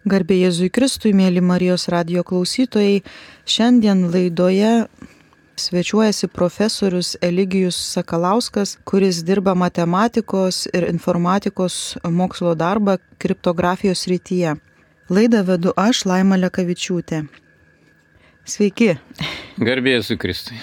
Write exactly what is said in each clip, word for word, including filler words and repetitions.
Garbė Jėzui Kristui, mėly Marijos radijo klausytojai, šiandien laidoje svečiuojasi profesorius Eligijus Sakalauskas, kuris dirba matematikos ir informatikos mokslo darbą kriptografijos srityje. Laidą vedu aš, Laima Lekavičiūtė. Sveiki. Garbė Jėzui Kristui.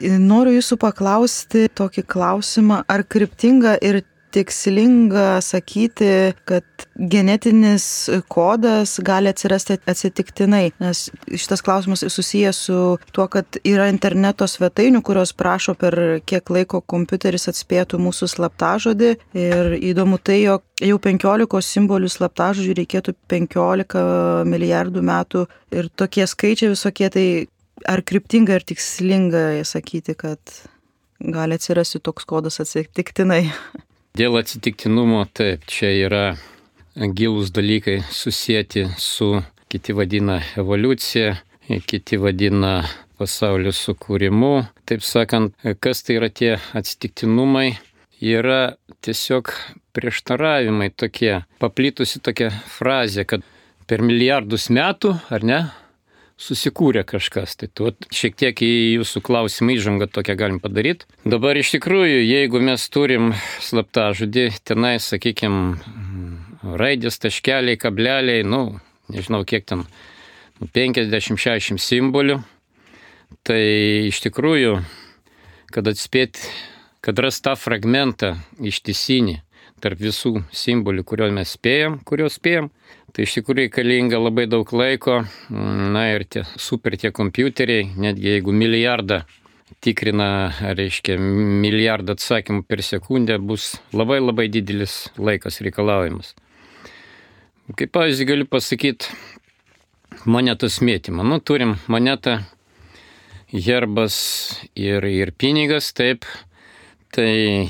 Noriu jūsų paklausti tokį klausimą, ar kryptinga ir tikslinga sakyti, kad genetinis kodas gali atsirasti atsitiktinai, nes šitas klausimas susijęs su tuo, kad yra interneto svetainių, kurios prašo per kiek laiko kompiuteris atspėtų mūsų slaptažodį, ir įdomu tai, jog jau penkiolikos simbolių slaptažodžių reikėtų penkiolika milijardų metų ir tokie skaičiai visokie, tai ar kryptinga ir tikslinga sakyti, kad gali atsirasti toks kodas atsitiktinai? Dėl atsitiktinumo, taip, čia yra gilūs dalykai susijęti su, kiti vadina evoliucija, kiti vadina pasaulio sukūrimu. Taip sakant, kas tai yra tie atsitiktinumai, yra tiesiog prieštaravimai tokie, paplitusi tokia frazė, kad per milijardus metų, ar ne, susikūrė kažkas. Tai tu šiek tiek į jūsų klausimą įžangą tokią galim padaryti. Dabar iš tikrųjų, jeigu mes turim slaptažodį, tenai, sakykime, raidės, taškeliai, kableliai, nu, nežinau kiek ten, penkiasdešimt šešiasdešimt simbolių, tai iš tikrųjų, kad atspėti, kad rast tą fragmentą ištisinį tarp visų simbolių, kuriuos mes spėjam, kuriuos spėjam, tai iš tikrųjų reikalinga labai daug laiko, na ir tie super tie kompiuteriai, netgi jeigu milijardą tikrina, reiškia, milijardą atsakymų per sekundę, bus labai labai didelis laikas reikalaujamas. Kaip pavyzdį galiu pasakyti monetos mėtymą. Nu, turim monetą, herbas ir, ir pinigas, taip, tai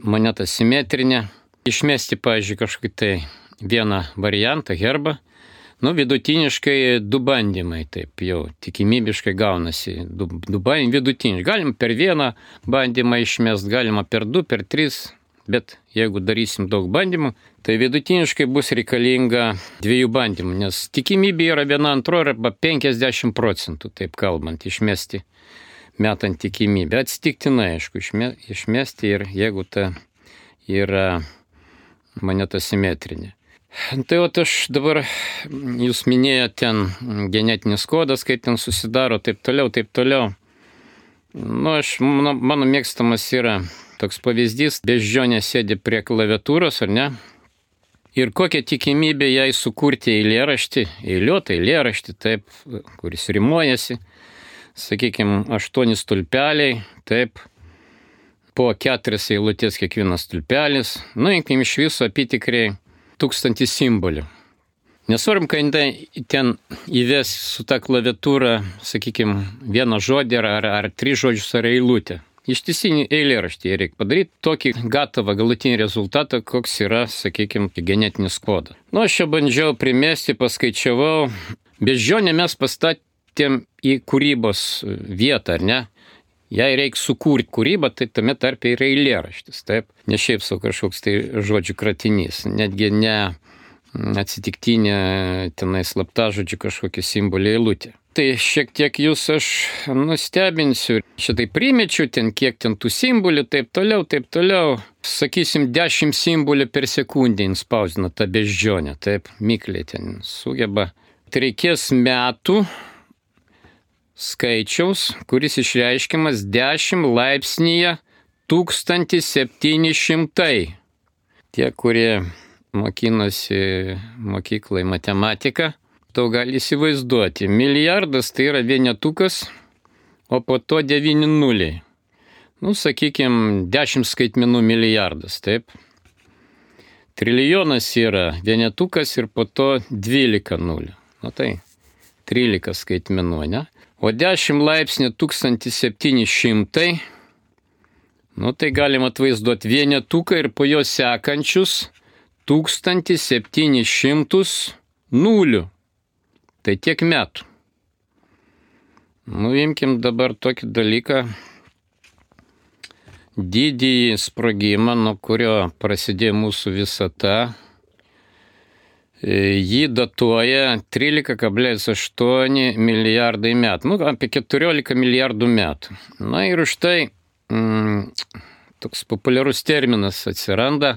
moneta simetrinė. Išmesti, pavyzdžiui, kažkokį tai vieną variantą, herbą, nu, vidutiniškai du bandymai, taip jau tikimybiškai gaunasi, du, du bandymai vidutiniškai. Galim per vieną bandymą išmest, galima per du, per tris, bet jeigu darysim daug bandymų, tai vidutiniškai bus reikalinga dviejų bandymų, nes tikimybė yra viena antro arba penkiasdešimt procentų, taip kalbant, išmesti metant tikimybę. Atsitiktinai, aišku, išmesti ir jeigu ta yra moneta simetrinė. Tai o aš dabar, jūs minėjote ten genetinis kodas, kaip ten susidaro, taip toliau, taip toliau. Nu, aš, mano, mano mėgstamas yra toks pavyzdys, beždžionė sėdi prie klaviatūros, ar ne? Ir kokia tikimybė jai sukurti eilėraštį, eiliuotą eilėraštį, taip, kuris rimuojasi, sakykime, aštuoni stulpeliai, taip, po keturias eilutės kiekvienas stulpelis, nu, imkim iš viso apytikriai tūkstantį simbolių. Nesvarum, kad ten įves su ta klaviatūra, sakykime, vieną žodį ar, ar tris žodžius ar eilutę. Ištisinį eilėraštį reikia padaryti tokį gatavą galutinį rezultatą, koks yra, sakykime, genetinis kodas. Nu, aš čia bandžiau primesti, paskaičiavau. Beždžionę mes pastatėm į kūrybos vietą, ar ne? Jei reikia sukurti kūrybą, tai tame tarpe yra eilėraštis, taip? Ne šiaip sau kažkoks tai žodžių kratinys, netgi ne atsitiktinė tenai slaptažodžių kažkokia simbolė eilutė. Tai šiek tiek jūs aš nustebinsiu, šitai primečiu ten, kiek ten tų simbolių, taip toliau, taip toliau. Sakysim, dešimt simbolių per sekundę inspausdina tą beždžionę, taip, mikliai ten sugeba. Tai reikės metų skaičiaus, kuris išreiškiamas dešimt laipsnyje tūkstantis septyni šimtai. Tie, kurie mokinosi mokyklai matematiką, to gali įsivaizduoti. Milijardas tai yra vienetukas, o po to devyni nuliai. Nu, sakykime, dešimt skaitmenų milijardas, taip. Trilijonas yra vienetukas ir po to dvylika nulių. Nu tai, trylika skaitmenų, ne? O dešimt laipsnių tūkstantis septyni šimtai, nu tai galima atvaizduoti vienetuką ir po jo sekančius tūkstantis septyni šimtus nulių. Tai tiek metų. Nu, imkim dabar tokį dalyką, didįjį sprogimą, nuo kurio prasidėjo mūsų visata. jį datuoja trylika kablelis aštuoni milijardai metų, nu, apie keturiolika milijardų metų. Na ir už tai mm, toks populiarus terminas atsiranda,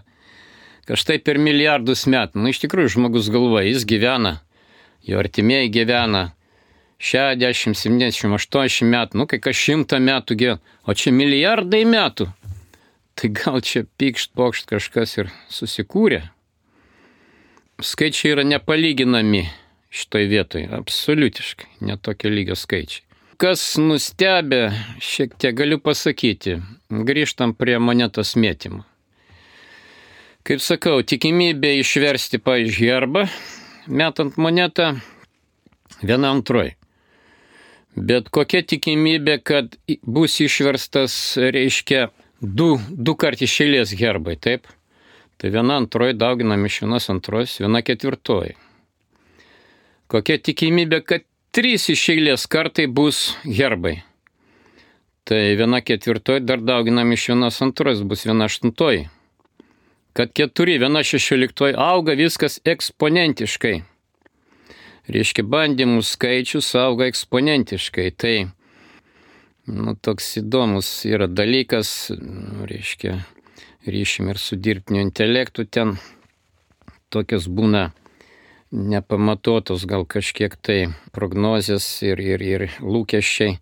kad štai per milijardus metų. Nu, iš tikrųjų, žmogus galvoja, jis gyvena, jo artimieji gyvena šešiasdešimt, septyniasdešimt, aštuoniasdešimt metų, nu, kai kas šimtą metų gyvena, o čia milijardai metų. Tai gal čia pykšt, pokšt kažkas ir susikūrė. Skaičiai yra nepalyginami šitoj vietoje, absoliutiškai, netokio lygio skaičiai. Kas nustebė, šiek tiek galiu pasakyti, grįžtam prie monetos mėtymo. Kaip sakau, tikimybė išversti, pavyzdžiui, herbą, metant monetą, viena antroji. Bet kokia tikimybė, kad bus išverstas, reiškia, du, du kart iš eilės herbai, taip? Tai viena antroji dauginam iš vienos antros, viena ketvirtoji. Kokia tikimybė, kad trys iš eilės kartai bus herbai? Tai viena ketvirtoji dar dauginam iš vienos antros, bus viena aštuntoji. Kad keturi, viena šešioliktoji auga viskas eksponentiškai. Reiškia, bandymų skaičius auga eksponentiškai. Tai, nu, toks įdomus yra dalykas, reiškia, ryšim ir su dirbtiniu intelektu ten tokios būna nepamatuotos gal kažkiek tai prognozės ir, ir, ir lūkesčiai,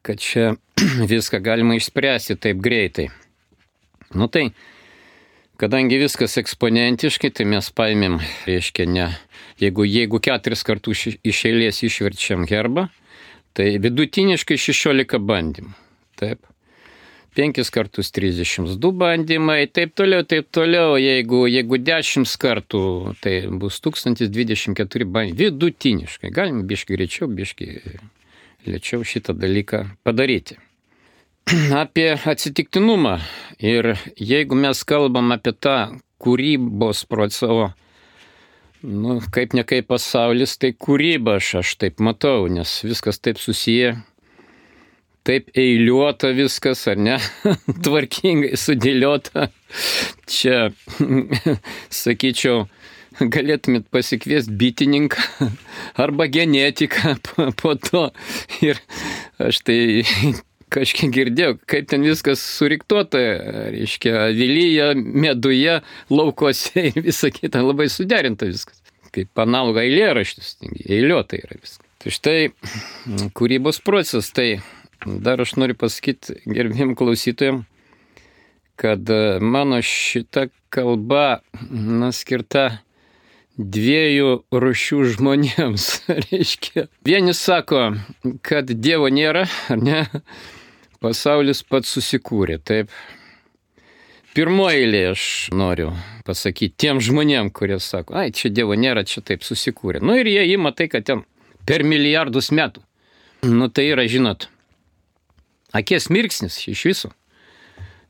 kad čia viską galima išspręsti taip greitai. Nu tai, kadangi viskas eksponentiškai, tai mes paėmėm, reiškia, ne, jeigu, jeigu keturis kartus iš eilės išverčiam herbą, tai vidutiniškai šešiolika bandymų. Taip. Penkis kartus trisdešimt du bandymai, taip toliau, taip toliau. Jeigu, jeigu dešimt kartų, tai bus tūkstantis dvidešimt keturi bandymai. Vidutiniškai. Galim biški greičiau, biški lėčiau šitą dalyką padaryti. Apie atsitiktinumą. Ir jeigu mes kalbam apie tą kūrybos procesą, nu, kaip ne kaip pasaulis, tai kūryba aš, aš taip matau, nes viskas taip susiję. Taip eiliuota viskas, ar ne? Tvarkingai sudėliota. Čia, sakyčiau, galėtumėt pasikviesti bitininką arba genetiką po, po to. Ir aš tai kažkiek girdėjau, kaip ten viskas suriktuota, reiškia, avilyje, meduje, laukose ir visa kita, labai suderinta viskas. Kaip analoga eilėraštis, eiliuota yra viskas. Tai štai kūrybos procesas, tai dar aš noriu pasakyti gerbėjim klausytojam, kad mano šita kalba, na, skirta dviejų rūšių žmonėms. Reiškia, vieni sako, kad Dievo nėra, ar ne? Pasaulis pats susikūrė, taip. Pirmoji eilė aš noriu pasakyti tiem žmonėm, kurie sako, ai, čia Dievo nėra, čia taip susikūrė. Nu ir jie ima tai, kad ten per milijardus metų. Nu tai yra, žinot, akies mirksnis iš viso.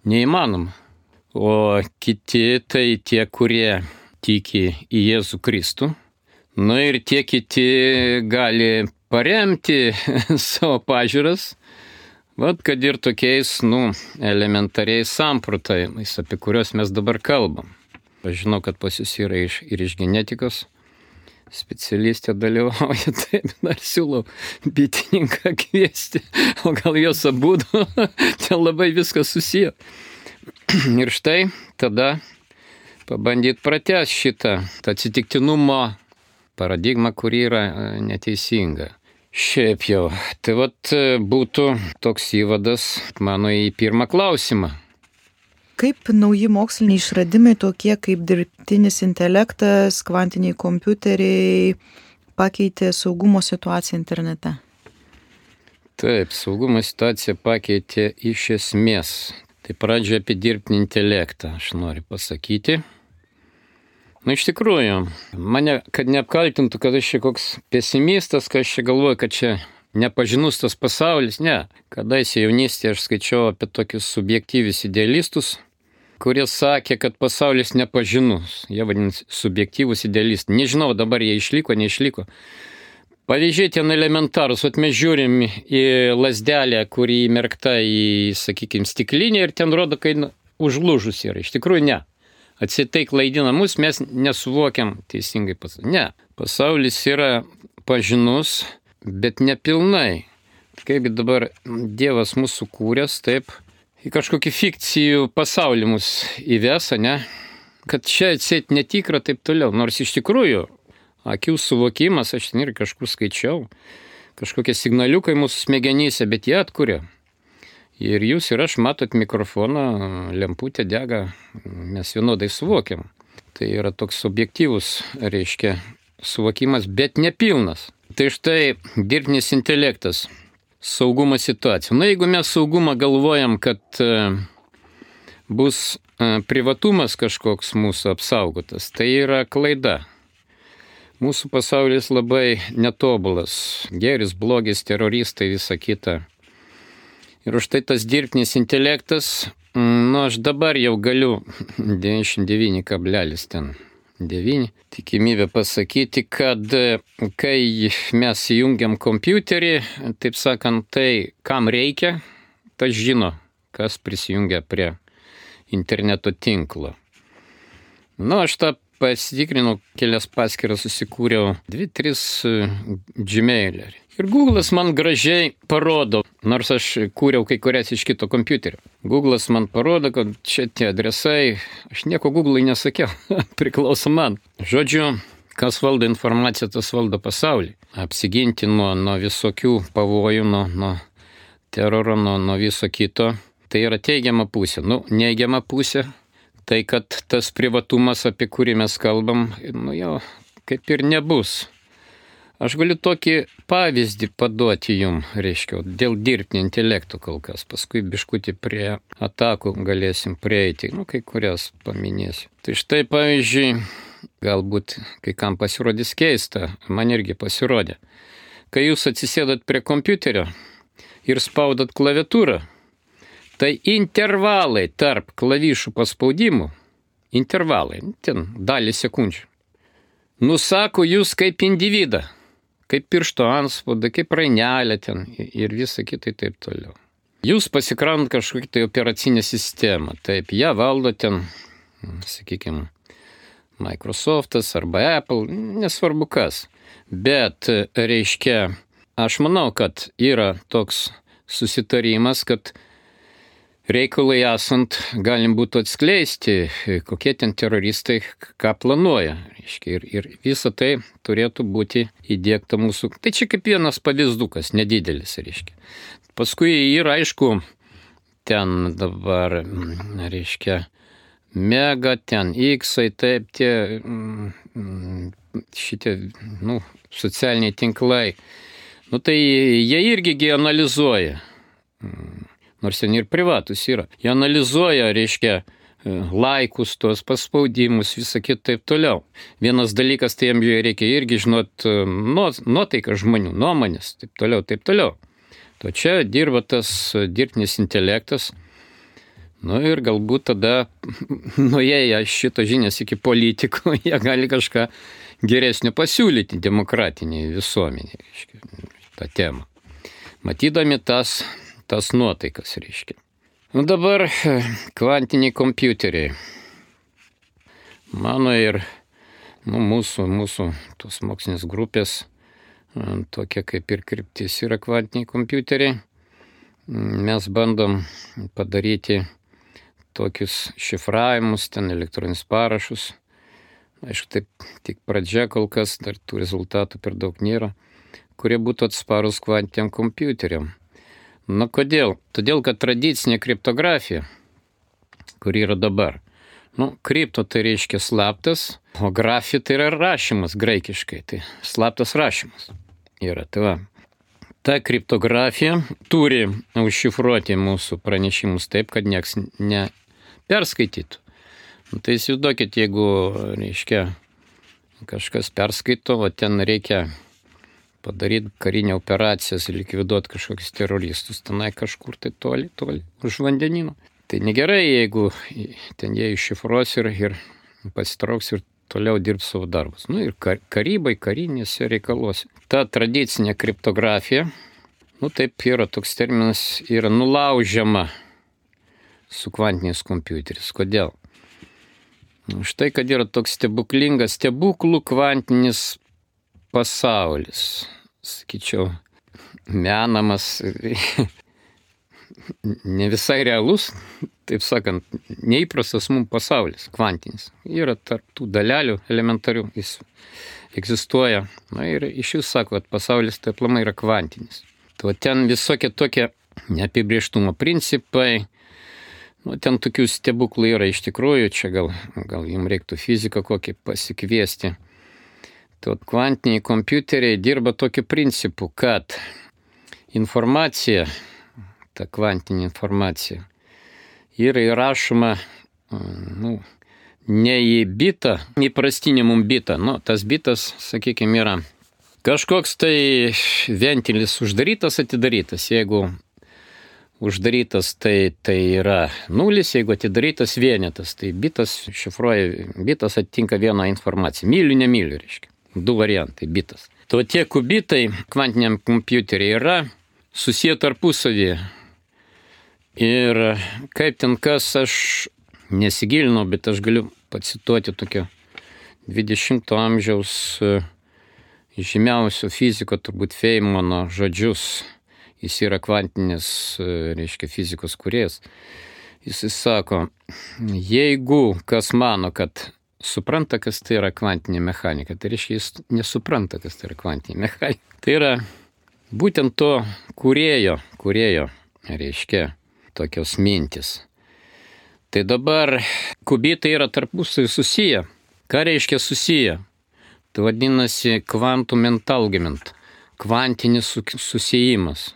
Neįmanoma. O kiti tai tie, kurie tiki į Jėzų Kristų. Nu ir tie kiti gali paremti savo pažiūras, vat kad ir tokiais, nu, elementariais samprotavimais, apie kuriuos mes dabar kalbam. Aš žinau, kad pas jūs yra iš, ir iš genetikos specialistė dalyvauja, taip, dar siūlau bitininką kviesti, o gal jos abudu, ten labai viskas susiję. Ir štai tada pabandyt pratęsti šitą atsitiktinumo paradigmą, kuri yra neteisinga. Šiaip jau, tai vat būtų toks įvadas mano į pirmą klausimą. Kaip nauji moksliniai išradimai tokie kaip dirbtinis intelektas, kvantiniai kompiuteriai pakeitė saugumo situaciją internete? Taip, saugumo situaciją pakeitė iš esmės. Tai pradžioje apie dirbtinį intelektą aš noriu pasakyti. Na, iš tikrųjų, mane, kad neapkaltintų, kad aš čia koks pesimistas, kad aš čia galvoju, kad čia nepažinus tas pasaulis. Ne, kadaise jaunystėje aš skaičiau apie tokius subjektyvius idealistus, kurie sakė, kad pasaulis nepažinus. Jie vadinasi subjektyvus idealistai. Nežinau, dabar jie išliko, neišliko. Pavyzdžiai ten elementarus. Vat mes žiūrim į lazdelę, kuri įmerkta į, sakykime, stiklinę ir ten rodo, kai užlūžus yra. Iš tikrųjų ne. Atseit tai klaidina mus, mes nesuvokiam teisingai pasaulį. Ne, pasaulis yra pažinus, bet nepilnai. Kaip dabar Dievas mūsų kūręs, taip, į kažkokį fikcijų pasaulį mus įves, ne? Kad čia atseit netikra, taip toliau. Nors iš tikrųjų, akių suvokimas, aš ten ir kažkur skaičiau, kažkokie signaliukai mūsų smegenyse, bet jie atkuria. Ir jūs ir aš matot mikrofoną, lemputė dega, mes vienodai suvokiam. Tai yra toks objektyvus, reiškia, suvokimas, bet nepilnas. Tai štai dirbtinis intelektas, saugumo situacija. Na, jeigu mes saugumą galvojam, kad bus privatumas kažkoks mūsų apsaugotas, tai yra klaida. Mūsų pasaulis labai netobulas. Geris, blogis, teroristai, visa kita. Ir už tai tas dirbtinis intelektas, nu aš dabar jau galiu devyniasdešimt devyni kablelis devyni tikimybę pasakyti, kad kai mes įjungiam kompiuterį, taip sakant, tai kam reikia, tas žino, kas prisijungia prie interneto tinklo. Nu, aš tą pasitikrinau, kelias paskyras susikūriau, dvi, tris Gmail'ą. Ir Google'as man gražiai parodo, nors aš kūriau kai kurias iš kito kompiuterio. Google'as man parodo, kad čia tie adresai, aš nieko Google'ai nesakiau, priklauso man. Žodžiu, kas valdo informaciją, tas valdo pasaulį. Apsiginti nuo, nuo visokių pavojų, nuo, nuo teroro, nuo, nuo viso kito. Tai yra teigiama pusė. Nu, neigiama pusė, tai kad tas privatumas, apie kurį mes kalbam, nu jau kaip ir nebus. Aš galiu tokį pavyzdį paduoti jum, reiškia, dėl dirbtinio intelekto kol kas. Paskui biškutį prie atakų galėsim prieiti, nu, kai kurias paminėsiu. Tai štai, pavyzdžiui, galbūt kai kam pasirodys keista, man irgi pasirodė. Kai jūs atsisėdat prie kompiuterio ir spaudat klaviatūrą, tai intervalai tarp klavišų paspaudimų, intervalai, ten dalį sekundžių, nusako jūs kaip individą. Kaip piršto antspaudą, kaip rainelė ten ir visa kitai taip toliau. Jūs pasikraunat kažkokią tai operacinę sistemą, taip, ją valdo ten, sakykime, Microsoftas arba Apple, nesvarbu kas. Bet, reiškia, aš manau, kad yra toks susitarimas, kad reikalai esant galim būtų atskleisti, kokie ten teroristai ką planuoja. Reiškia, ir, ir visa tai turėtų būti įdiegta mūsų. Tai čia kaip vienas pavyzdukas, nedidelis, reiškia. Paskui yra, aišku, ten dabar, reiškia, mega, ten X-ai, taip, tie šitie, nu, socialiniai tinklai. Nu, tai jie irgi analizuoja. Nors ten ir privatus yra. Jie analizuoja, reiškia, laikus, tos paspaudimus, visą kitą taip toliau. Vienas dalykas, tai jiems reikia irgi žinot nuotaiką žmonių, nuomonės, taip toliau, taip toliau. To čia dirba tas dirbtinis intelektas. Nu ir galbūt tada, nuėję šito žinias iki politikų, jie gali kažką geresnio pasiūlyti demokratiniai visuomeniai, reiškia, tą temą. Matydami tas tas nuotaikas, reiškia. Nu dabar kvantiniai kompiuteriai. Mano ir nu, mūsų, mūsų tos mokslinės grupės tokia kaip ir kryptis yra kvantiniai kompiuteriai. Mes bandom padaryti tokius šifravimus, ten elektroninius parašus. Aišku, taip tik pradžia kol kas, dar tų rezultatų per daug nėra, kurie būtų atsparus kvantiniam kompiuteriam. Nu, kodėl? Todėl, kad tradicinė kriptografija, kuri yra dabar, nu, kripto tai reiškia slaptas, o grafija tai yra rašymas graikiškai, tai slaptas rašymas yra. Tai va, ta kriptografija turi užšifruoti mūsų pranešimus taip, kad nieks neperskaitytų. Nu, tai įsivaizduokit, jeigu, reiškia, kažkas perskaito, o ten reikia padaryti karinę operaciją, likviduoti kažkokius teroristus, tenai kažkur tai toli, toli, už vandenino. Tai negerai, jeigu ten jie iššifruos ir, ir pasitrauks ir toliau dirbs savo darbus. Nu ir karybai, karinėse reikaluose. Ta tradicinė kriptografija, nu taip yra toks terminas, yra nulaužiama su kvantiniais kompiuteriais. Kodėl? Štai, kad yra toks stebuklingas, stebuklų kvantinis pasaulis. Sakyčiau, menamas, ne visai realus, taip sakant, neįprastas mums pasaulis, kvantinis. Yra tarp tų dalelių elementarių, jis egzistuoja. Na ir iš jų sako, kad pasaulis tai aplamai yra kvantinis. Tai ten visokie tokie neapibrėžtumo principai, nu, ten tokių stebuklų yra iš tikrųjų, čia gal, gal jums reiktų fiziką kokį pasikviesti. Tai kvantiniai kompiuteriai dirba tokiu principu, kad informacija, ta kvantinė informacija, yra įrašoma, nu, ne į bitą, įprastinį mum bitą. Nu, tas bitas, sakykime, yra kažkoks tai ventilis uždarytas, atidarytas. Jeigu uždarytas, tai, tai yra nulis, jeigu atidarytas vienetas, tai bitas šifruoja, bitas atitinka vieną informaciją. Myliu, nemyliu, reiškia. Du variantai bitas. To tie kubitai kvantiniam kompiuteriai yra susiję tarpusavyje. Ir kaip ten kas, aš nesigilinau, bet aš galiu pacituoti tokio dvidešimto amžiaus žymiausio fiziko, turbūt Feynmano žodžius. Jis yra kvantinis, reiškia, fizikos kūrėjas. Jis sako, jeigu kas mano, kad supranta, kas tai yra kvantinė mechanika, tai reiškia, jis nesupranta, kas tai yra kvantinė mechanika. Tai yra būtent to kūrėjo, kūrėjo, reiškia, tokios mintis. Tai dabar kubitai yra tarpusavy susiję. Ką reiškia susiję? Tai vadinasi quantum entanglement, kvantinis susijimas.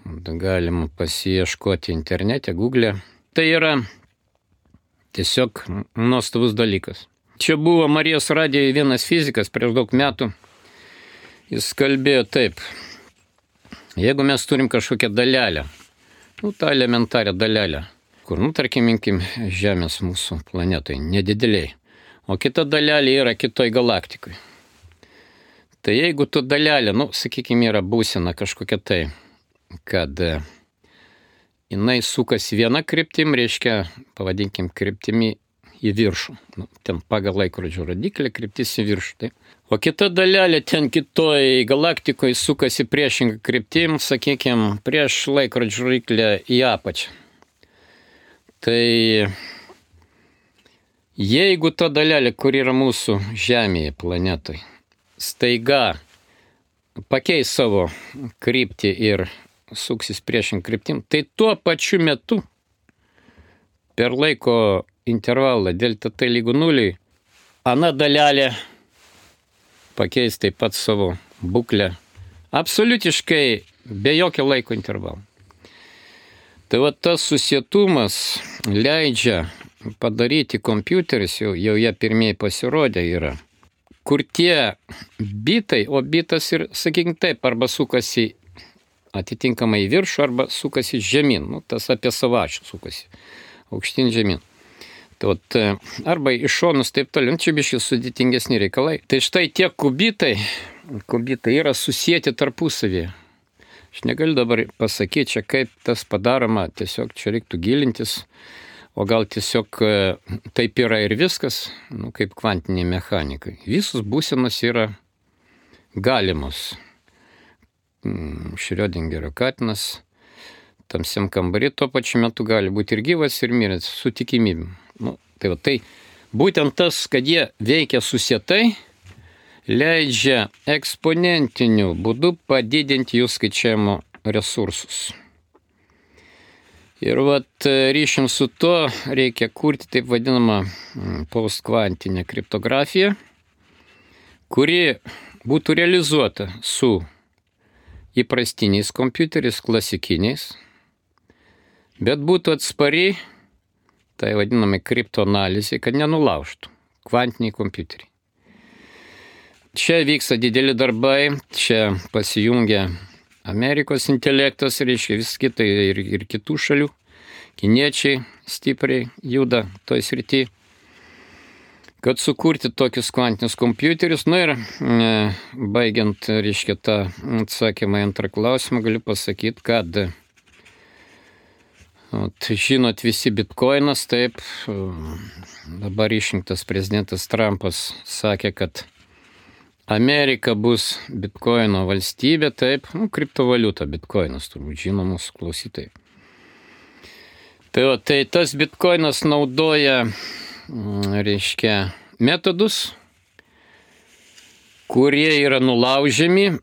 Galima pasiieškoti internete, Google. Tai yra tiesiog nuostabus dalykas. Čia buvo Marijos radijoje vienas fizikas prieš daug metų. Jis kalbėjo taip. Jeigu mes turim kažkokią dalelę, nu, tą elementarią dalelę, kur, nu, tarkim, imkim Žemės mūsų planetai, nedideliai, o kita dalelė yra kitoj galaktikoj. Tai jeigu tu dalelė, nu, sakykime, yra būsena kažkokia tai, kad jinai sukasi viena kryptim, reiškia, pavadinkim, kryptimi į viršų. Nu, ten pagal laikrodžio rodiklį kryptis į viršų. Tai. O kita dalelė ten kitoj galaktikoje sukasi priešingą kryptim, sakykime, prieš laikrodžio rodiklį į apačią. Tai jeigu ta dalelė, kur yra mūsų Žemėje planetoj, staiga pakeis savo kryptį ir suksis priešingą kryptim, tai tuo pačiu metu per laiko intervalą delta t lygu nuliui, ana dalelė pakeis taip pat savo būklę absoliutiškai be jokio laiko intervalo. Tai va tas susietumas leidžia padaryti kompiuteris, jau, jau jie pirmieji pasirodė yra, kur tie bitai, o bitas ir, sakykime taip, arba sukasi atitinkamai į viršų, arba sukasi žemyn, nu, tas apie savačių sukasi, aukštyn žemyn. Tai vat, arba iš šonus taip toliau, čia biškai sudėtingesni reikalai. Tai štai tie kubitai, kubitai yra susieti tarpusavyje. Aš negaliu dabar pasakyti čia, kaip tas padaroma, tiesiog čia reiktų gilintis, o gal tiesiog taip yra ir viskas, nu, kaip kvantiniai mechanikai. Visos būsenos yra galimos. Šriodingerio katinas tamsiam kambarį tuo pačiu metu gali būti ir gyvas, ir miręs, su tikimybėm. Nu, tai, va, tai būtent tas, kad jie veikia susietai, leidžia eksponentiniu būdu padidinti jų skaičiavimo resursus. Ir vat ryšium su to reikia kurti taip vadinamą postkvantinę kriptografiją, kuri būtų realizuota su įprastiniais kompiuteriais, klasikiniais, bet būtų atspari, tai vadinamai kriptoanalizai, kad nenulaužtų kvantiniai kompiuteriai. Čia vyksta dideli darbai, čia pasijungia Amerikos intelektas, reiškia vis kitai ir, ir kitų šalių, kiniečiai stipriai juda toj srity, kad sukurti tokius kvantinius kompiuterius. Nu ir e, baigiant, reiškia, tą atsakymą į antrą klausimą, galiu pasakyti, kad Ot, žinot, visi bitkoinas, taip, dabar išrinktas prezidentas Trumpas sakė, kad Amerika bus bitkoino valstybė, taip, nu, kriptovaliuta bitkoinas, turbūt žino mūsų klausytojai. Tai, o, tai tas bitkoinas naudoja, reiškia, metodus, kurie yra nulaužiami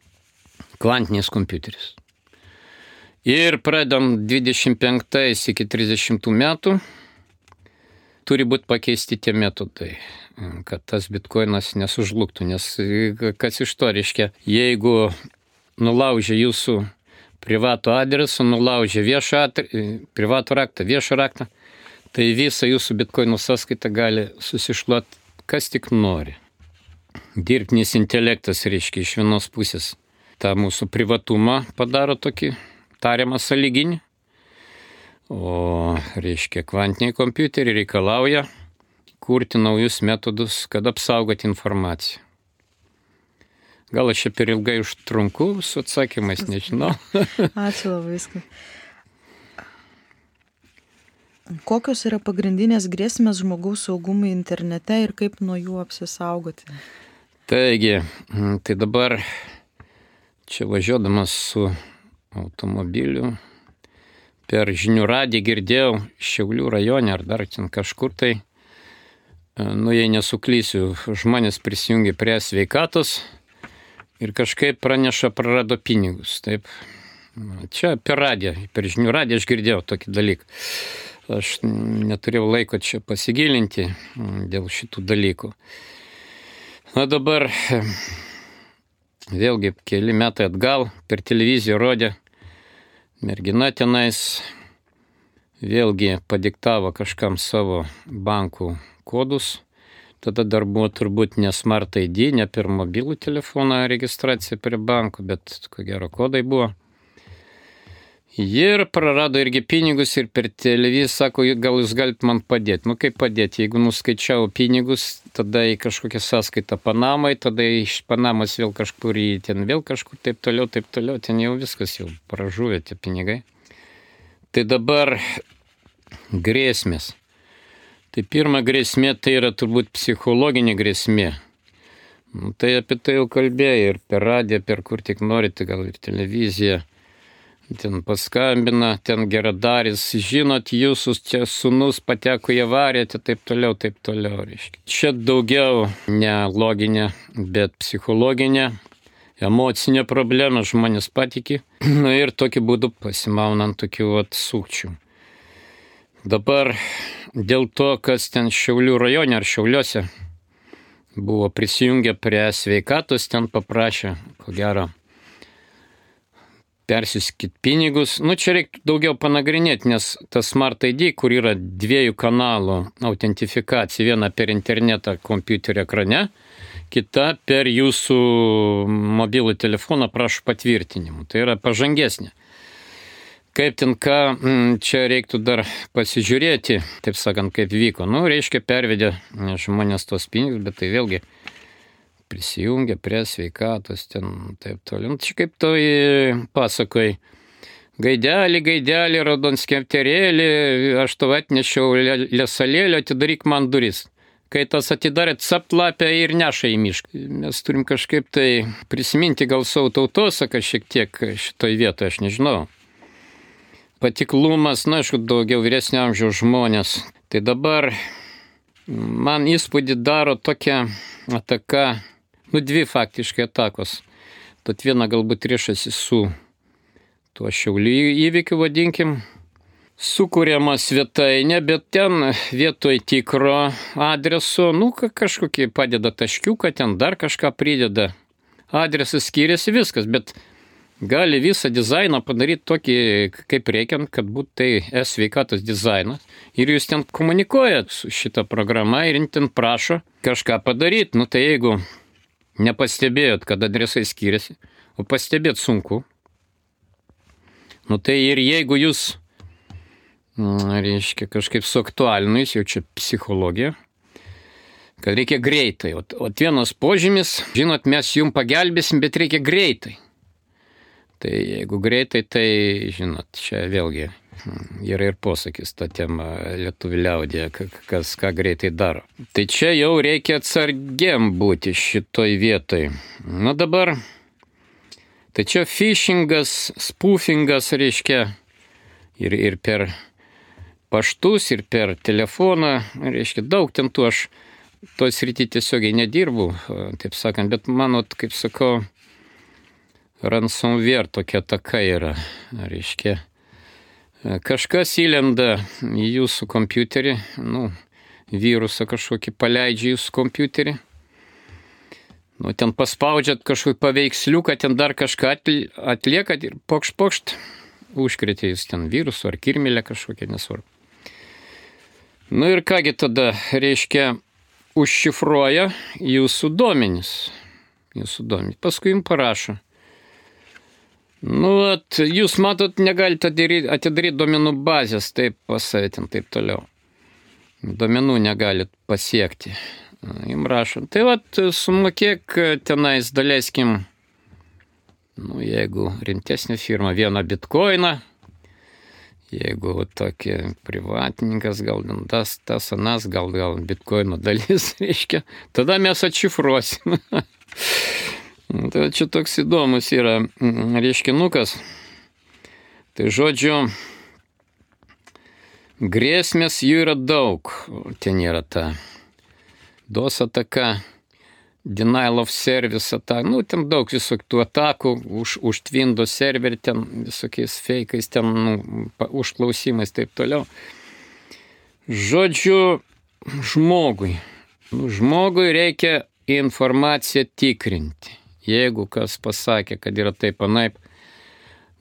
kvantiniais kompiuteriais. Ir pradedam dvidešimt penktais iki trisdešimtų metų turi būti pakeisti tie metodai, kad tas bitkoinas nesužlugtų. Nes kas iš to reiškia, jeigu nulaužia jūsų privatų adresą, nulaužia viešą privatų raktą, viešą raktą, tai visą jūsų bitkoinų sąskaitą gali susišluoti kas tik nori. Dirbtinis intelektas, reiškia, iš vienos pusės tą mūsų privatumą padaro tokį tariamą sąlyginį, o, reiškia, kvantiniai kompiuteriai reikalauja kurti naujus metodus, kad apsaugoti informaciją. Gal aš čia per ilgai užtrunku su atsakymais, nežinau. Ačiū labai viską. Kokios yra pagrindinės grėsmės žmogaus saugumui internete ir kaip nuo jų apsisaugoti? Taigi, tai dabar čia važiuodamas su automobiliu per žinių radiją girdėjau Šiaulių rajone ar dar ten kažkur tai, nu jei nesuklysiu, žmonės prisijungė prie sveikatos ir kažkaip praneša prarado pinigus. Taip. Čia per radiją, per žinių radiją aš girdėjau tokį dalyką. Aš neturėjau laiko čia pasigilinti dėl šitų dalykų. Na dabar vėlgi keli metai atgal per televiziją rodė, mergina tenais vėlgi padiktavo kažkam savo bankų kodus. Tada dar buvo turbūt ne Smart I D, ne per mobilų telefoną registracija prie bankų, bet ko gero kodai buvo. Ir prarado irgi pinigus ir per televiziją sako, gal jūs galite man padėti. Nu kaip padėti, jeigu nuskaičiau pinigus, tada į kažkokią sąskaitą Panamai, tada iš Panamos vėl kažkur į ten vėl kažkur taip toliau, taip toliau, ten jau viskas jau pražuvė tie pinigai. Tai dabar grėsmės. Tai pirma grėsmė tai yra turbūt psichologinė grėsmė. Nu, tai apie tai jau kalbėjai ir per radiją, per kur tik norite, gal ir televiziją. Ten paskambina, ten geradaris, žinot, jūsų čia sūnus pateko į avariją, taip toliau, taip toliau. Reiškia. Čia daugiau ne loginė, bet psichologinė, emocinė problema, žmonės patiki. Na ir tokiu būdu pasimaunant tokių vat sukčių. Dabar dėl to, kas ten Šiaulių rajone ar Šiauliuose buvo prisijungę prie sveikatos, ten paprašė, ko gero, persiskit pinigus. Nu, čia reikia daugiau panagrinėti, nes tas Smart I D, kur yra dviejų kanalų autentifikacija, viena per internetą kompiuterio ekrane, kita per jūsų mobilų telefoną prašo patvirtinimų. Tai yra pažangesnė. Kaip ten ką, čia reiktų dar pasižiūrėti, taip sakant, kaip vyko. Nu, reiškia, pervedė žmonės tos pinigus, bet tai vėlgi prisijungia prie sveikatos, ten taip toliau. Čia kaip toj pasakoj, gaidelį, gaidelį, raudonskepterėlį, aš tau atnešiau lesalėlio, atidaryk man duris. Kai tas atidarė, capt lapę ir neša į mišką. Mes turim kažkaip tai prisiminti gal savo tautosaką šiek tiek šitoj vietoje, aš nežinau. Patiklumas, na, aišku, daugiau vyresnio amžiaus žmonės. Tai dabar man įspūdį daro tokia ataka, nu, dvi faktiškai atakos. Tad viena galbūt riešasi su tuo Šiaulių įvykiu, vadinkim. Sukuriama svetainė, bet ten vietoj tikro adreso, nu, kažkokį padeda taškiuką, ten dar kažką prideda. Adresas skiriasi viskas, bet gali visą dizainą padaryti tokį, kaip reikiant, kad būtų tai e-sveikatos dizainas. Ir jūs ten komunikuojat su šitą programą ir ten prašo kažką padaryti. Nu, tai jeigu nepastebėjot, kad adresai skiriasi, o pastebėt sunku, nu, tai ir jeigu jūs, reiškia, kažkaip suaktualinus, jau čia psichologija, kad reikia greitai. O, o vienas požymis, žinot, mes jums pagelbėsim, bet reikia greitai. Tai jeigu greitai, tai, žinot, čia vėlgi Yra ir posakis tą temą lietuvių liaudėje, kas ką greitai daro. Tai čia jau reikia atsargiam būti šitoj vietoj. Na dabar, tai čia phishingas, spoofingas reiškia ir, ir per paštus, ir per telefoną, reiškia daug ten tų aš toj srity tiesiogiai nedirbu, taip sakant, bet manot, kaip sakau, ransomware tokia ataka yra, reiškia. Kažkas įlenda į jūsų kompiuterį, nu, virusą kažkokį paleidžia jūsų kompiuterį, nu, ten paspaudžiat kažkokį paveiksliuką, ten dar kažką atliekat ir pokšt, pokšt, užkrėtė jūs ten virusų ar kirmėlę kažkokią, nesvarbu. Nu ir kągi tada, reiškia, užšifruoja jūsų duomenis, jūsų duomenis, paskui jums parašo. Nu, at, jūs matot, negalite atidaryti duomenų bazės, taip pasavėtin, taip toliau. Duomenų negalit pasiekti. Jums rašo. Tai vat, sumokėk tenais, daleiskim, nu, jeigu rimtesnė firma, vieną bitkoiną, jeigu tokie privatininkas, gal tas, tas, anas, gal, gal bitkoino dalis, reiškia, tada mes atšifruosim. Tai čia toks įdomus yra reiškinukas. Tai žodžiu, grėsmės jų yra daug. Ten yra ta DOS ataka, denial of service ataka, nu, ten daug visokių atakų, už, už Windows serverį, ten visokiais feikais, ten nu, užklausimais, taip toliau. Žodžiu, žmogui. Nu, žmogui reikia informaciją tikrinti. Jeigu kas pasakė, kad yra taip anaip,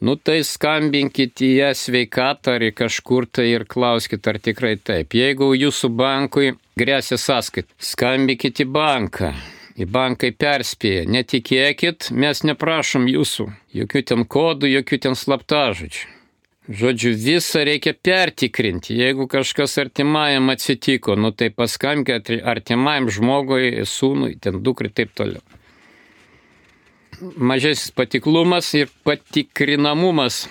nu tai skambinkit į ją sveikatą ar į kažkur tai ir klauskit, ar tikrai taip. Jeigu jūsų bankui grėsia sąskait, skambinkit į banką. Į bankai perspėja, netikėkit, mes neprašom jūsų. Jokių ten kodų, jokių ten slaptažodžių. Žodžiu, visą reikia pertikrinti. Jeigu kažkas artimajam atsitiko, nu tai paskambink artimajam žmogui, sūnui, ten dukrai, taip toliau. Mažesnis patiklumas ir patikrinamumas,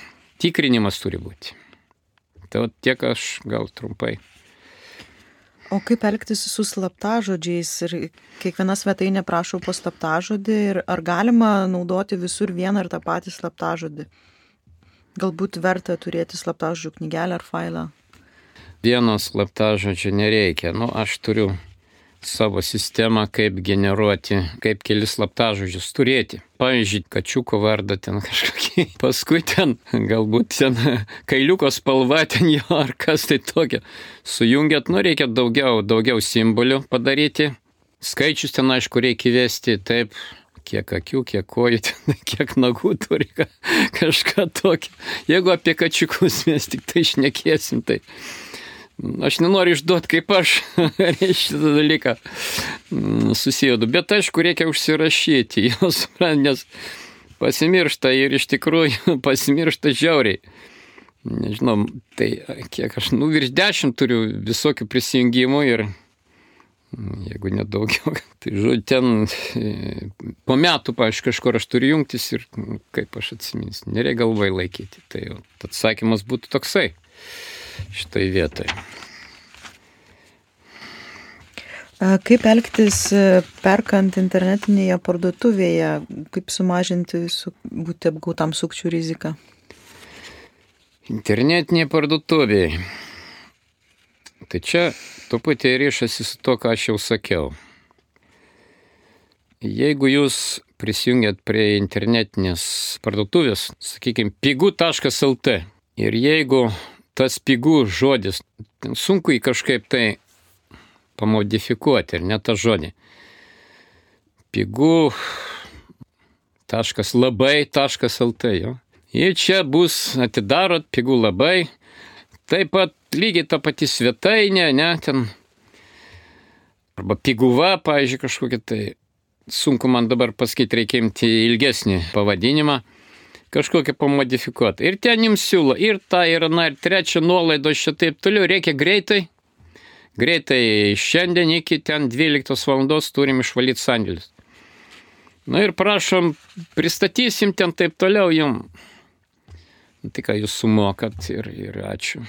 tikrinimas turi būti. Tai tiek aš gal trumpai. O kaip elgtis su slaptažodžiais? Ir kiekviena svetainė prašo po slaptažodį ir ar galima naudoti visur vieną ir tą patį slaptažodį? Galbūt verta turėti slaptažodžių knygelę ar failą? Vieno slaptažodžio nereikia. Nu, aš turiu savo sistemą, kaip generuoti, kaip kelis slaptažodžius turėti. Pavyzdžiui, kačiuko vardą ten kažkokį. Paskui ten, galbūt ten kailiuko spalva ten jo, ar kas tai tokia. Sujungiat, nu reikia daugiau, daugiau simbolių padaryti. Skaičius ten, aišku, reikia įvesti taip, kiek akių, kiek kojų, ten, kiek nagų turi, kažką tokio. Jeigu apie kačiukus mes tik tai šnekėsim, tai aš nenoriu išduoti, kaip aš šitą dalyką susijodu, bet aišku, reikia užsirašyti, jos, nes pasimiršta ir iš tikrųjų pasimiršta žiauriai. Nežinau, tai kiek aš, nu, virš dešimt turiu visokių prisijungimų ir jeigu nedaugiau, tai žodžiu, ten po metų, pavyzdžiui, kažkur aš turiu jungtis ir kaip aš atsiminsiu, nereikia galvai laikyti. Tai atsakymas būtų toksai šitai vietai. Kaip elgtis perkant internetinėje parduotuvėje, kaip sumažinti su, būti apgautam sukčių riziką? Internetinėje parduotuvėje. Tai čia truputį ryšasi su to, ką aš jau sakiau. Jeigu jūs prisijungiat prie internetinės parduotuvės, sakykime, pigu taškas lt, ir jeigu tas pigų žodis, sunku jį kažkaip tai pamodifikuoti, ir ne tą žodį. Pigų taškas labai taškas lt, jo. Ir čia bus, atidarot, pigų labai, taip pat lygiai ta pati svetainė, ne, ten, arba piguva, pavyzdžiui, kažkokia, tai sunku man dabar pasakyti, reikia imti ilgesnį pavadinimą, kažkokią pamodifikuoti. Ir ten jums siūlo ir tą, ir na, ir trečią nuolaidą, šitaip toliau, reikia greitai, greitai šiandien iki ten dvyliktos valandos turim išvalyti sandėlius. Na ir prašom, pristatysim ten taip toliau jums. Tai ką jūs sumokat ir, ir ačiū.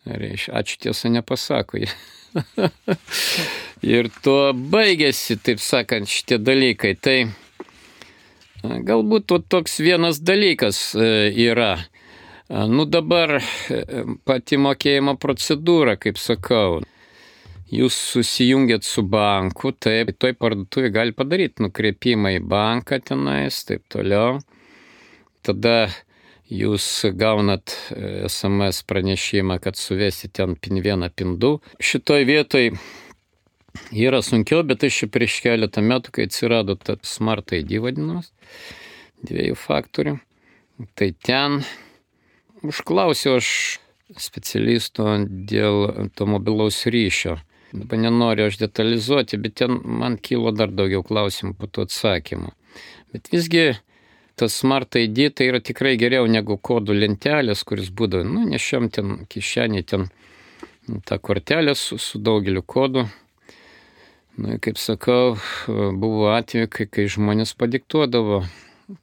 Reiškia, ačiū tiesa nepasako. Ir tuo baigėsi, taip sakant, šitie dalykai. Tai galbūt toks vienas dalykas yra. Nu dabar pati mokėjimo procedūra, kaip sakau. Jūs susijungiat su banku, taip, toj parduotuvėje gali padaryti nukreipimą į banką tenais, taip toliau. Tada jūs gaunat es em es pranešimą, kad suvesti ten pin vieną, pin du. Šitoj vietoj yra sunkiau, bet aš prieš keletą metų, kai atsirado ta Smart I D vadinamas, dviejų faktorių, tai ten užklausiau aš specialisto dėl to mobilaus ryšio. Dabar nenoriu aš detalizuoti, bet ten man kilo dar daugiau klausimų po to atsakymų. Bet visgi tas Smart I D tai yra tikrai geriau negu kodų lentelės, kuris būdavo, nu, nešiam ten kišenį, ten tą kortelę su, su daugeliu kodų. Nu, kaip sakau, buvo atveju, kai, kai žmonės padiktuodavo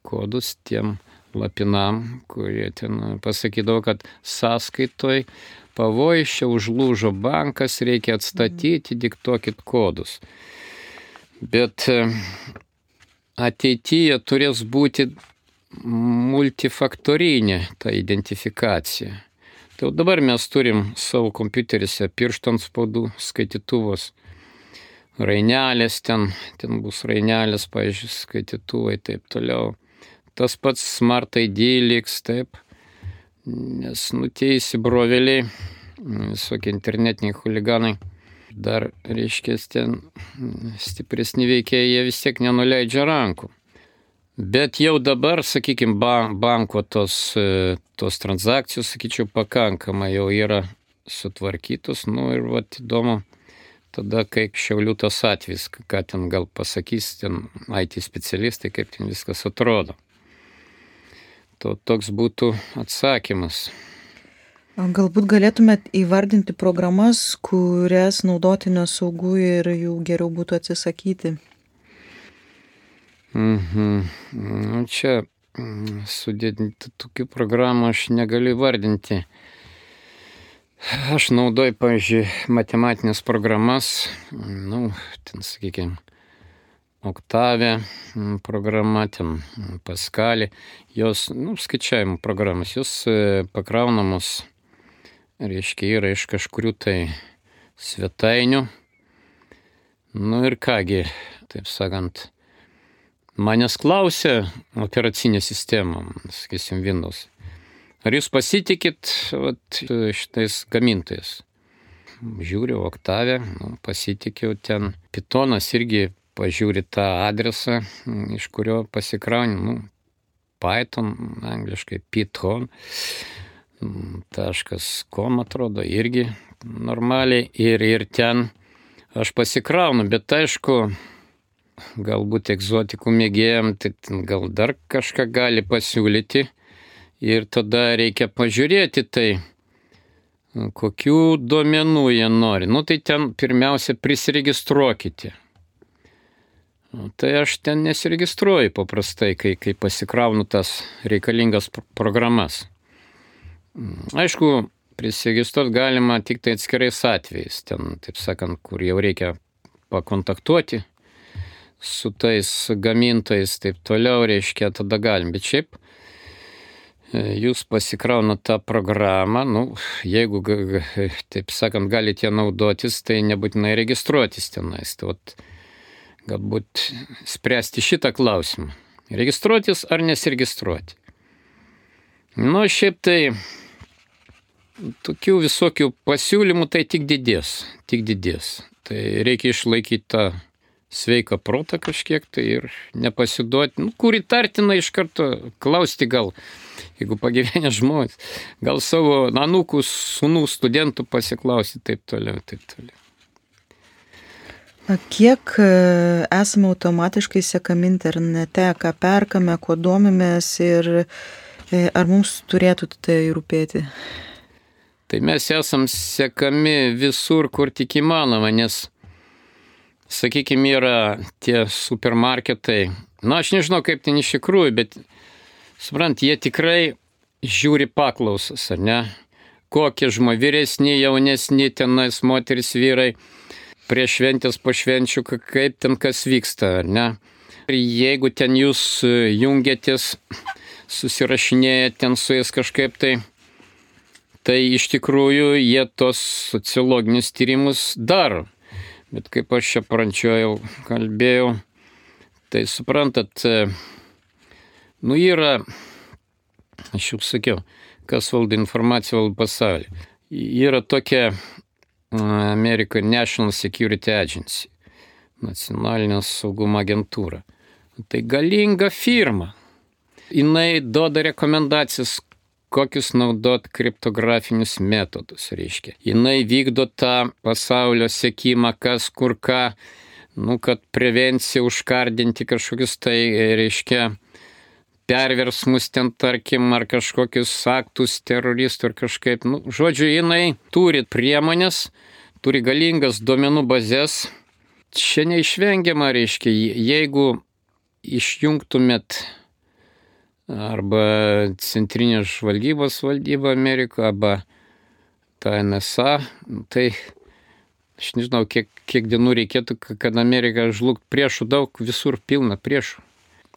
kodus tiem lapinam, kurie ten pasakydavo, kad sąskaitoj pavojus, čia užlūžo bankas, reikia atstatyti, diktuokit kodus. Bet ateityje turės būti multifaktorinė ta identifikacija. Tai dabar mes turim savo kompiuteriuose pirštų antspaudų skaitytuvus, rainelės ten, ten bus rainelės, pavyzdžiui, skaitytuvai, taip toliau. Tas pats Smart I D liks, taip, nes nu tie įsibrovėliai, visokie internetiniai huliganai, dar, reiškia, ten stipresni veikėjai, jie vis tiek nenuleidžia rankų. Bet jau dabar, sakykime, banko tos, tos transakcijos, sakyčiau, pakankamai jau yra sutvarkytos, nu ir vat įdomu, tada, kai Šiaulių tas atvejis, ką ten gal pasakys, ten I T specialistai, kaip ten viskas atrodo. To toks būtų atsakymas. Galbūt galėtumėt įvardinti programas, kurias naudoti nesaugu ir jų geriau būtų atsisakyti. Mhm. Čia sudėtinti tokių programų aš negaliu įvardinti. Aš naudoju, pavyzdžiui, matematinės programas, nu, ten, sakykime, Oktavė programa, ten Paskalį, jos, nu, skaičiavimo programas, jos pakraunamos, reiškia, yra iš kažkurių tai svetainių. Nu ir kągi, taip sakant, manęs klausė operacinė sistema, sakysim, Windows. Ar jūs pasitikit vat, šitais gamintojais? Žiūriu, Oktavę, nu, pasitikiu ten. Pythonas irgi pažiūri tą adresą, iš kurio pasikrauni, nu, Python, angliškai Python, taškas com atrodo, irgi normaliai. Ir, ir ten aš pasikraunu, bet aišku, galbūt egzotikų mėgėjam, tai gal dar kažką gali pasiūlyti. Ir tada reikia pažiūrėti tai, kokių duomenų jie nori. Nu, tai ten pirmiausia prisiregistruokite. Tai aš ten nesiregistruoju paprastai, kai, kai pasikraunu tas reikalingas programas. Aišku, prisiregistruoti galima tik tai atskirais atvejais. Ten, taip sakant, kur jau reikia pakontaktuoti su tais gamintojais, taip toliau, reiškia, tada galim. Bet šiaip jūs pasikraunat tą programą, nu, jeigu, taip sakant, galite naudotis, tai nebūtinai registruotis tenais. Tai vat, galbūt spręsti šitą klausimą. Registruotis ar nesiregistruoti. Nu, šiaip tai tokių visokių pasiūlymų tai tik didės, tik didės. Tai reikia išlaikyti tą sveiką protą kažkiek tai ir nepasiduoti. Nu, kur įtartina iš karto klausti gal, jeigu pagyvenę žmonės, gal savo anūkų, sūnų, studentų pasiklausti, taip toliau, taip toliau. Kiek esame automatiškai sekami internete, ką perkame, kuo domimės ir ar mums turėtų tai rūpėti? Tai mes esam sekami visur, kur tik įmanoma, nes, sakykime, yra tie supermarketai. Na, aš nežinau, kaip ten iš tikrųjų, bet, suprant, jie tikrai žiūri paklausas, ar ne? Kokie žmonės, vyresni, jaunesni, tenais moteris, vyrai, prie šventės, po švenčių, kaip ten kas vyksta, ar ne? Ir jeigu ten jūs jungiatės, susirašinėjate ten su jais kažkaip tai, tai iš tikrųjų jie tos sociologinius tyrimus daro. Bet kaip aš čia prančiojau, kalbėjau, tai suprantat, nu yra, aš jau sakiau, kas valdo informaciją, valdo pasaulį. Yra tokia American National Security Agency, nacionalinė saugumo agentūra. Tai galinga firma. Jinai duoda rekomendacijas, kokius naudot kriptografinius metodus, reiškia. Jinai vykdo tą pasaulio sekimą, kas kur ką, nu, kad prevencija užkardinti kažkokius tai, reiškia, perversmus ten, tarkim, ar kažkokius aktus teroristų ar kažkaip. Nu, žodžiu, jinai turi priemonės, turi galingas duomenų bazės. Čia neišvengiama, reiškia, jeigu išjungtumėt arba centrinės žvalgybos valdybą Amerikoje, arba tą N S A, tai aš nežinau, kiek, kiek dienų reikėtų, kad Amerika žlugt. Priešų daug, visur pilna priešų.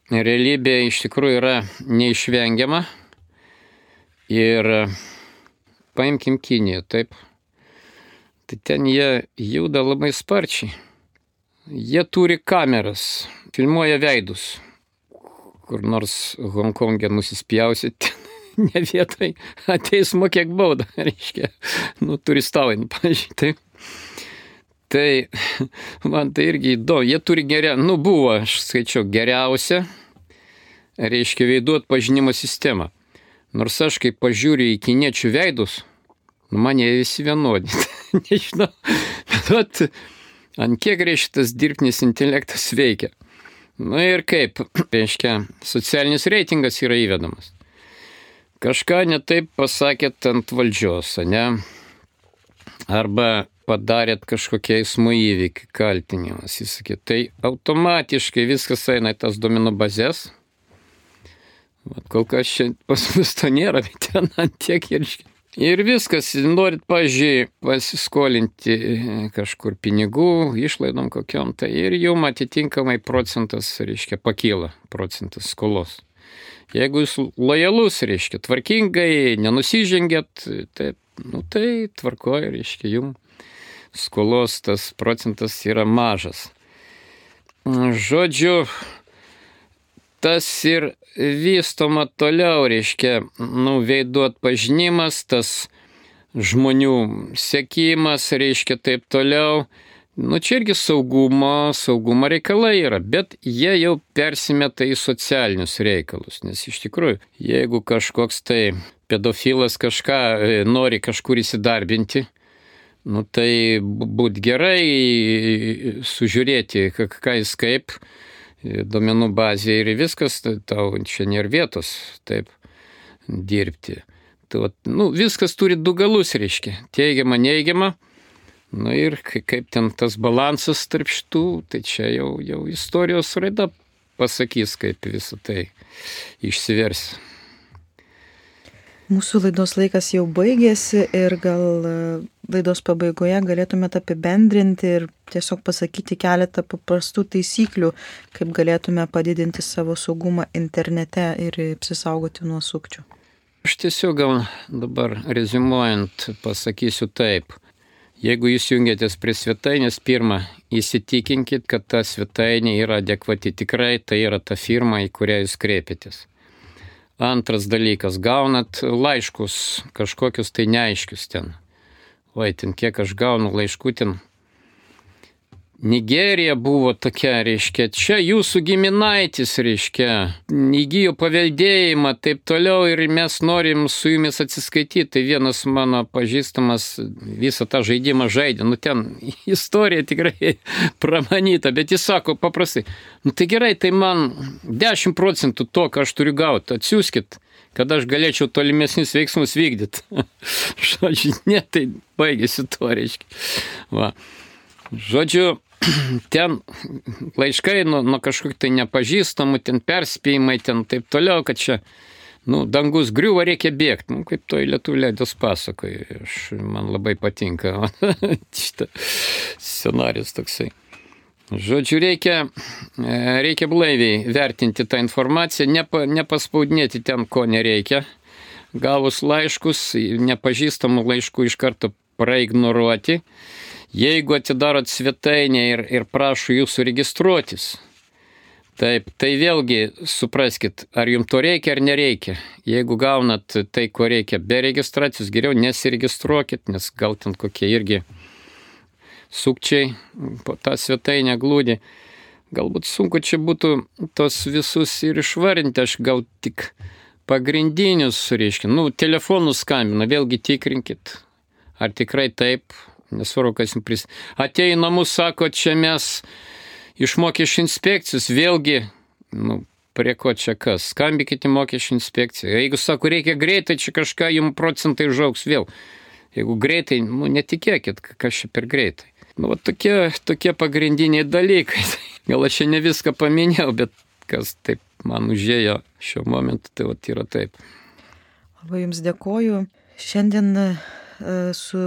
Realybė iš tikrųjų yra neišvengiama. Ir paimkim Kiniją, taip. Tai ten jie juda labai sparčiai. Jie turi kameras, filmuoja veidus. Kur nors Hongkonge nusispjausit, ne vietai, ateis mokėk baudą, reiškia, nu, turistavai, pavyzdžiui, taip. Tai man tai irgi įdomu, jie turi geriau, nu, buvo, aš skaičiau, geriausia, reiškia, veidų atpažinimo sistema. Nors aš, kai pažiūriu į kiniečių veidus, man jie visi vienodi, nežinau, bet ant kiek, reiškia, tas dirbtinis intelektas veikia. Nu ir kaip, reiškia, socialinis reitingas yra įvedamas. Kažką netaip pasakėt ant valdžios, ne? Arba padarėt kažkokie eismo įvykį, kaltinimas, jis sakė, tai automatiškai viskas eina į tas duomenų bazės. Vat kol kas čia pas mus to nėra, bet ten ant tiek ir... Ir viskas, norit, pažiūrėjau, pasiskolinti kažkur pinigų, išlaidom kokiom, tai ir jum atitinkamai procentas, reiškia, pakyla procentas skolos. Jeigu jūs lojalus, reiškia, tvarkingai, nenusižengėt, tai, nu, tai tvarkoja, reiškia, jum skolos tas procentas yra mažas. Žodžiu, tas ir vystoma toliau, reiškia, nu, veidų atpažinimas, tas žmonių sekimas, reiškia, taip toliau. Nu, čia irgi saugumo, saugumo reikalai yra, bet jie jau persimeta į socialinius reikalus, nes iš tikrųjų, jeigu kažkoks tai pedofilas kažką nori kažkur įsidarbinti, nu, tai būt gerai sužiūrėti, ką jis kaip, duomenų bazė ir viskas, tau čia nėra vietos taip dirbti. Tai, nu, viskas turi du galus, reiškia, teigiama, neigiama. Nu ir kaip ten tas balansas tarp šitų, tai čia jau, jau istorijos raida pasakys, kaip visą tai išsivers. Mūsų laidos laikas jau baigėsi ir gal laidos pabaigoje galėtumėte apibendrinti ir tiesiog pasakyti keletą paprastų taisyklių, kaip galėtume padidinti savo saugumą internete ir apsisaugoti nuo sukčių. Aš tiesiog gal dabar reziumuojant pasakysiu taip. Jeigu jūs jungiatės prie svetainės, pirmą, įsitikinkit, kad ta svetainė yra adekvati. Tikrai tai yra ta firma, į kurią jūs kreipiatės. Antras dalykas, gaunat laiškus, kažkokius tai neaiškius ten. Oi, ten kiek aš gaunu laiškų ten. Nigerija buvo tokia, reiškia, čia jūsų giminaitis, reiškia, įgijo paveldėjimą, taip toliau ir mes norim su jumis atsiskaityti. Tai vienas mano pažįstamas visą tą žaidimą žaidė, nu ten istorija tikrai pramanyta, bet jis sako paprastai, nu tai gerai, tai man dešimt procentų to, ką aš turiu gauti, atsiųskit, kad aš galėčiau tolimesnius veiksmus vykdyti. Žodžiu, ne, tai baigėsi to, reiškia. Va. Žodžiu, ten laiškai nuo, nuo kažkokių tai nepažįstamų, ten perspėjimai, ten taip toliau, kad čia nu, dangus griuva, reikia bėgti, nu, kaip toj lietuvių leidės pasakoju. Aš, man labai patinka šitą scenarius toksai. Žodžiu, reikia, reikia blaiviai vertinti tą informaciją, nepa, nepaspaudinėti ten, ko nereikia. Gavus laiškus, nepažįstamų laiškų iš karto praignoruoti. Jeigu atidarot svetainę ir, ir prašo jūsų registruotis, taip, tai vėlgi supraskit, ar jums to reikia ar nereikia. Jeigu gaunat tai, ko reikia be registracijos, geriau nesiregistruokit, nes gal ten kokie irgi sukčiai po tą svetainę glūdi. Galbūt sunku čia būtų tos visus ir išvarinti, aš gal tik pagrindinius sureiškinu. Nu, telefonų skambina, vėlgi tikrinkit, ar tikrai taip, nesvarbu, kas jums pris... Atėjo į namus, sako, čia mes iš mokesčių inspekcijos, vėlgi, nu, prie ko čia kas, skambykite mokesčių inspekciją. Jeigu sako, reikia greitai, čia kažką jums procentai užaugs vėl. Jeigu greitai, nu, netikėkit, kas čia per greitai. Nu, va, tokie, tokie pagrindiniai dalykai. Gal aš čia ne viską paminėjau, bet kas taip man užėjo šiuo momentu, tai va, yra taip. Labai jums dėkoju. Šiandien su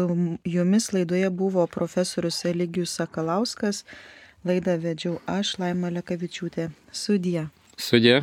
jumis laidoje buvo profesorius Eligijus Sakalauskas. Laidą vedžiau aš, Laima Lekavičiūtė. Sudie. Sudie.